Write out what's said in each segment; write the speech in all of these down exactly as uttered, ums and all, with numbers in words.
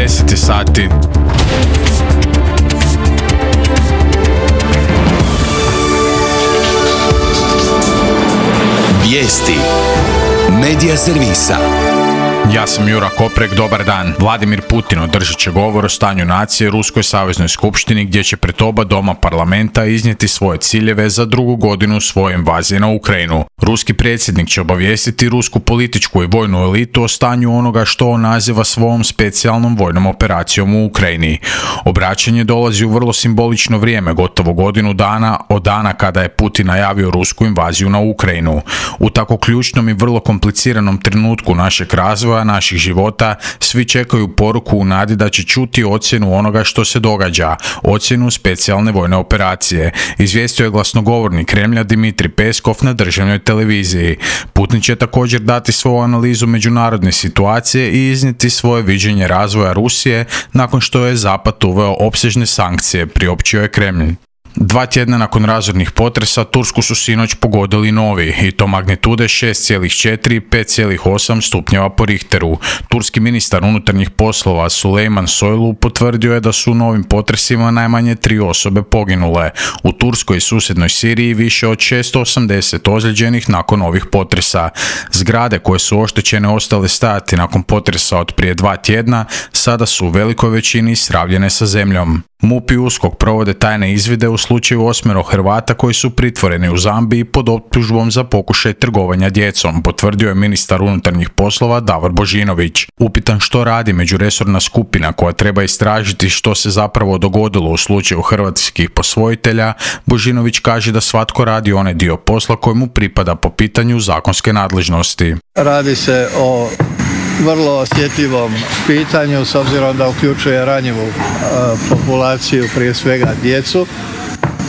deset sati. Vijesti Medija servisa. Ja sam Jura Koprek, dobar dan. Vladimir Putin održat će govor o stanju nacije Ruskoj saveznoj skupštini gdje će pred oba doma parlamenta iznijeti svoje ciljeve za drugu godinu svoje invazije na Ukrajinu. Ruski predsjednik će obavijestiti rusku političku i vojnu elitu o stanju onoga što on naziva svojom specijalnom vojnom operacijom u Ukrajini. Obraćanje dolazi u vrlo simbolično vrijeme, gotovo godinu dana od dana kada je Putin najavio rusku invaziju na Ukrajinu. U tako ključnom i vrlo kompliciranom trenutku našeg razvoja, naših života, svi čekaju poruku u nadi da će čuti ocjenu onoga što se događa, ocjenu specijalne vojne operacije, izvijestio je glasnogovornik Kremlja Dmitrij Peskov na državnoj televiziji. Putin će također dati svoju analizu međunarodne situacije i iznijeti svoje viđenje razvoja Rusije nakon što je Zapad uveo opsežne sankcije, priopćio je Kremlj. Dva tjedna nakon razornih potresa Tursku su sinoć pogodili novi, i to magnitude šest zarez četiri i pet zarez osam stupnjeva po Richteru. Turski ministar unutarnjih poslova Sulejman Soylu potvrdio je da su u novim potresima najmanje tri osobe poginule. U Turskoj i susjednoj Siriji više od šesto osamdeset ozlijeđenih nakon ovih potresa. Zgrade koje su oštećene ostale stajati nakon potresa od prije dva tjedna sada su u velikoj većini sravljene sa zemljom. MUP i USKOK provode tajne izvide u slučaju osmero Hrvata koji su pritvoreni u Zambiji pod optužbom za pokušaj trgovanja djecom, potvrdio je ministar unutarnjih poslova Davor Božinović. Upitan što radi međuresorna skupina koja treba istražiti što se zapravo dogodilo u slučaju hrvatskih posvojitelja, Božinović kaže da svatko radi onaj dio posla koji mu pripada po pitanju zakonske nadležnosti. Radi se o vrlo osjetljivom pitanju s obzirom da uključuje ranjivu e, populaciju, prije svega djecu,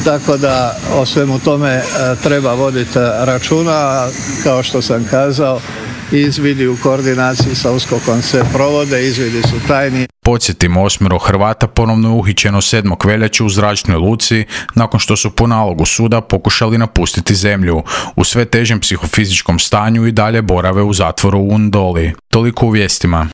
tako da o svemu tome e, treba voditi računa. Kao što sam kazao, izvidi u koordinaciji sa USKOK-om se provode, izvidi su tajni. Podsjetimo, osmero Hrvata ponovno je uhićeno sedmog veljače u zračnoj luci nakon što su po nalogu suda pokušali napustiti zemlju. U sve težem psihofizičkom stanju i dalje borave u zatvoru u Undoli. Toliko u vijestima.